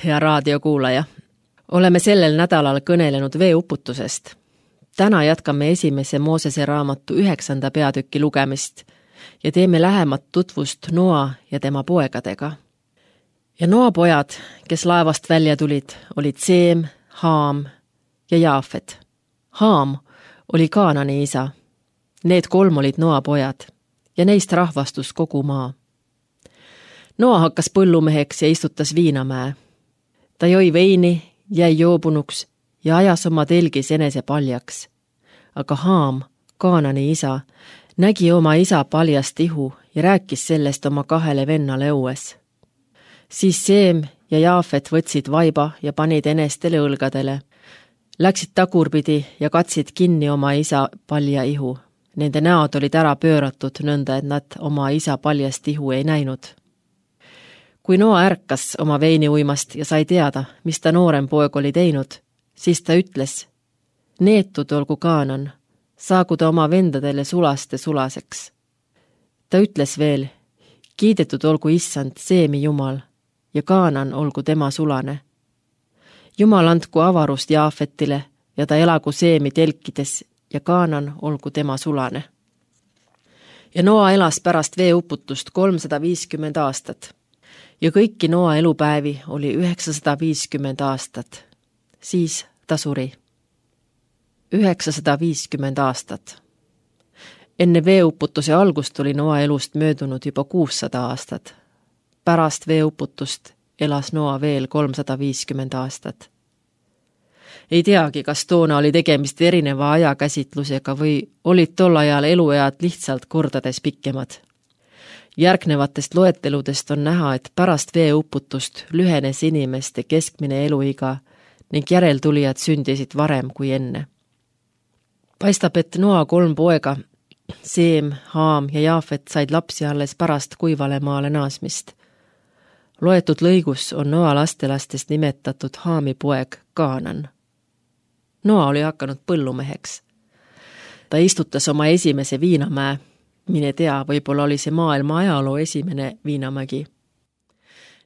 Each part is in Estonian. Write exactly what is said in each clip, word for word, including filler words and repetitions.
Hea raadiokuulaja, oleme sellel nädalal kõnelenud veeuputusest. Täna jätkame esimese Moosese raamatu üheksanda peatüki lugemist ja teeme lähemat tutvust Noa ja tema poegadega. Ja Noa pojad, kes laevast välja tulid, olid Seem, Haam ja Jaafet. Haam oli Kaanani isa. Need kolm olid Noa pojad ja neist rahvastus kogu maa. Noa hakkas põllumeheks ja istutas viinamäe. Ta joi veini, jäi joobunuks ja ajas oma telgis enese paljaks. Aga Haam, Kaanani isa, nägi oma isa paljast ihu ja rääkis sellest oma kahele vennale õues. Siis Seem ja Jaafet võtsid vaiba ja panid enestele õlgadele. Läksid tagurpidi ja katsid kinni oma isa palja ihu. Nende näod olid ära pööratud nõnda, et nad oma isa paljast ihu ei näinud. Kui Noa ärkas oma veini uimast ja sai teada, mis ta noorem poeg oli teinud, siis ta ütles, neetud olgu Kaanan, saagu ta oma vendadele sulaste sulaseks. Ta ütles veel, kiidetud olgu issand Seemi Jumal ja Kaanan olgu tema sulane. Jumal andku avarust Jaafetile ja ta elagu Seemi telkides ja Kaanan olgu tema sulane. Ja Noa elas pärast veeuputust kolmsada viiskümmend aastat. Ja kõiki Noa elupäevi oli üheksasada viiskümmend aastat. Siis ta suri. üheksasada viiskümmend aastat. Enne veeuputuse algust oli Noa elust möödunud juba kuussada aastat. Pärast veeuputust elas Noa veel kolmsada viiskümmend aastat. Ei teagi, kas toona oli tegemist erineva ajakäsitlusega või olid tol ajal eluead lihtsalt kordades pikemad. Järgnevatest loeteludest on näha, et pärast veeuputust lühenes inimeste keskmine eluiga ning järeltulijad sündisid varem kui enne. Paistab, et Noa kolm poega, Seem, Haam ja Jaafet said lapsi alles pärast kuivale maale naasmist. Loetud lõigus on Noa lastelastest nimetatud Haami poeg Kaanan. Noa oli hakanud põllumeheks. Ta istutas oma esimese viinamäe. Mine tea, võib-olla oli see maailma ajaloo esimene viinamägi.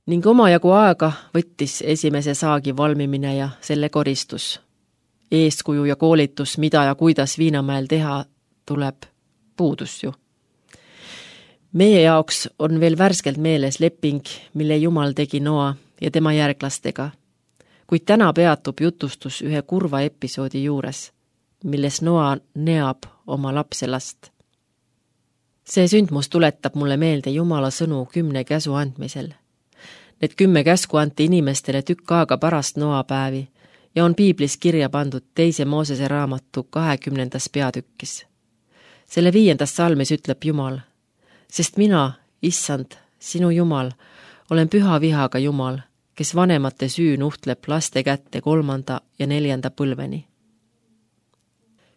Ning omajagu aega võttis esimese saagi valmimine ja selle koristus. Eeskuju ja koolitus, mida ja kuidas viinamäel teha tuleb, puudus ju. Meie jaoks on veel värskelt meeles leping, mille Jumal tegi Noa ja tema järglastega. Kuid täna peatub jutustus ühe kurva episoodi juures, milles Noa neab oma lapselast. See sündmus tuletab mulle meelde Jumala sõnu kümne käsu andmisel. Need kümme käsku anti inimestele tükk aega pärast Noa päevi ja on piiblis kirja pandud teise Moosese raamatu kahekümnendas peatükkis. Selle viiendas salmis ütleb Jumal, sest mina, issand, sinu Jumal, olen püha vihaga Jumal, kes vanemate süü nuhtleb laste kätte kolmanda ja neljanda põlveni.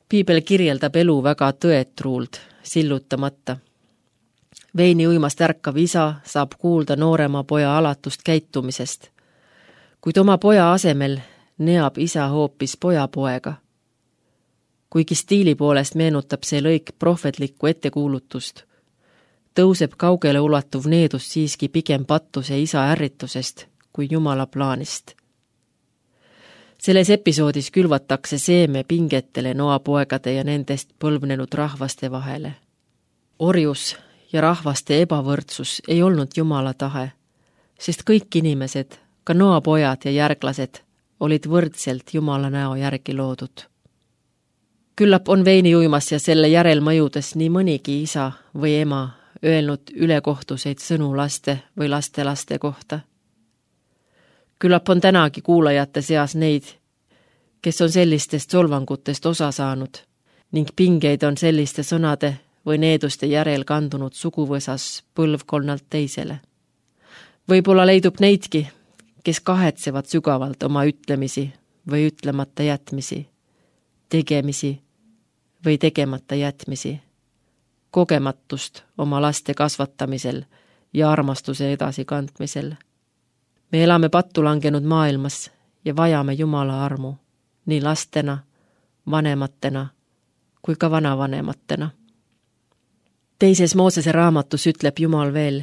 Piibel kirjeldab elu väga tõetruult, sillutamata. Veini uimast ärkav isa saab kuulda noorema poja alatust käitumisest, kuid oma poja asemel neab isa hoopis poja poega. Kuigi stiili poolest meenutab see lõik prohvetlikku ettekuulutust, tõuseb kaugele ulatuv needus siiski pigem pattuse isa ärritusest kui Jumala plaanist. Selles episoodis külvatakse seeme pingetele Noa poegade ja nendest põlvnenud rahvaste vahele. Orjus ja rahvaste ebavõrdsus ei olnud Jumala tahe, sest kõik inimesed, ka Noa pojad ja järglased, olid võrdselt Jumala näo järgi loodud. Küllap on veini uimas ja selle järelmõjudes nii mõnigi isa või ema öelnud ülekohtuseid sõnu laste või lastelaste kohta. Küllap on tänagi kuulajate seas neid, kes on sellistest solvangutest osa saanud ning pingeid on selliste sõnade või needuste järel kandunud suguvõsas põlvkonnalt teisele. Võib-olla leidub neidki, kes kahetsevad sügavalt oma ütlemisi või ütlemata jätmisi, tegemisi või tegemata jätmisi, kogematust oma laste kasvatamisel ja armastuse edasikandmisel. Me elame pattu langenud maailmas ja vajame Jumala armu, nii lastena, vanematena kui ka vanavanematena. Teises Moosese raamatus ütleb Jumal veel,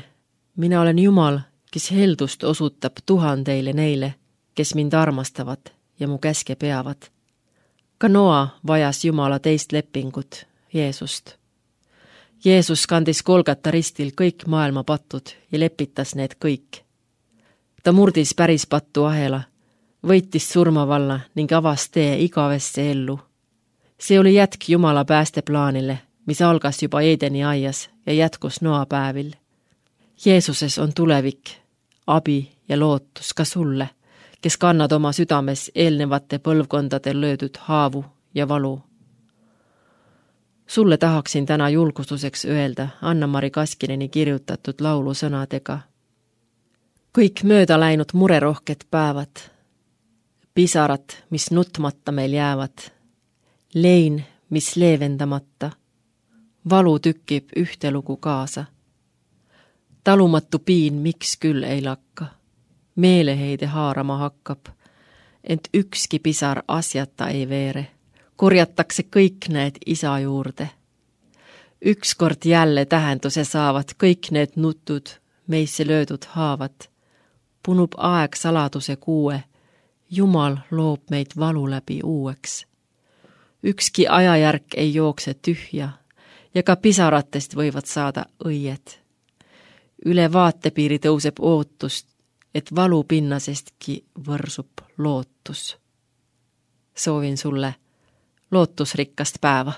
mina olen Jumal, kes heldust osutab tuhandeile neile, kes mind armastavad ja mu käske peavad. Ka Noa vajas Jumala teist lepingut, Jeesust. Jeesus kandis Golgata ristil kõik maailma patud ja lepitas need kõik. Ta murdis päris pattu ahela, võitis surmavalla ning avas tee igavesse ellu. See oli jätk Jumala päästeplaanile, mis algas juba Eedeni aias ja jätkus Noa päevil. Jeesuses on tulevik, abi ja lootus ka sulle, kes kannad oma südames eelnevate põlvkondade löödud haavu ja valu. Sulle tahaksin täna julgustuseks öelda Anna-Mari Kaskineni kirjutatud laulu sõnadega. Kõik mööda läinud murerohked päevad, pisarad, mis nutmata meil jäävad, lein, mis leevendamata, valu tükib ühte lugu kaasa. Talumatu piin miks küll ei lakka, meeleheide haarama hakkab, ent ükski pisar asjata ei veere, korjatakse kõik need isa juurde. Ükskord jälle tähenduse saavad kõik need nutud, meisse löödud haavad. Punub aeg saladuse kuue, Jumal loob meid valu läbi uueks. Ükski ajajärk ei jookse tühja ja ka pisaratest võivad saada õied. Üle vaatepiiri tõuseb ootust, et valu pinnasestki võrsub lootus. Soovin sulle lootusrikkast päeva.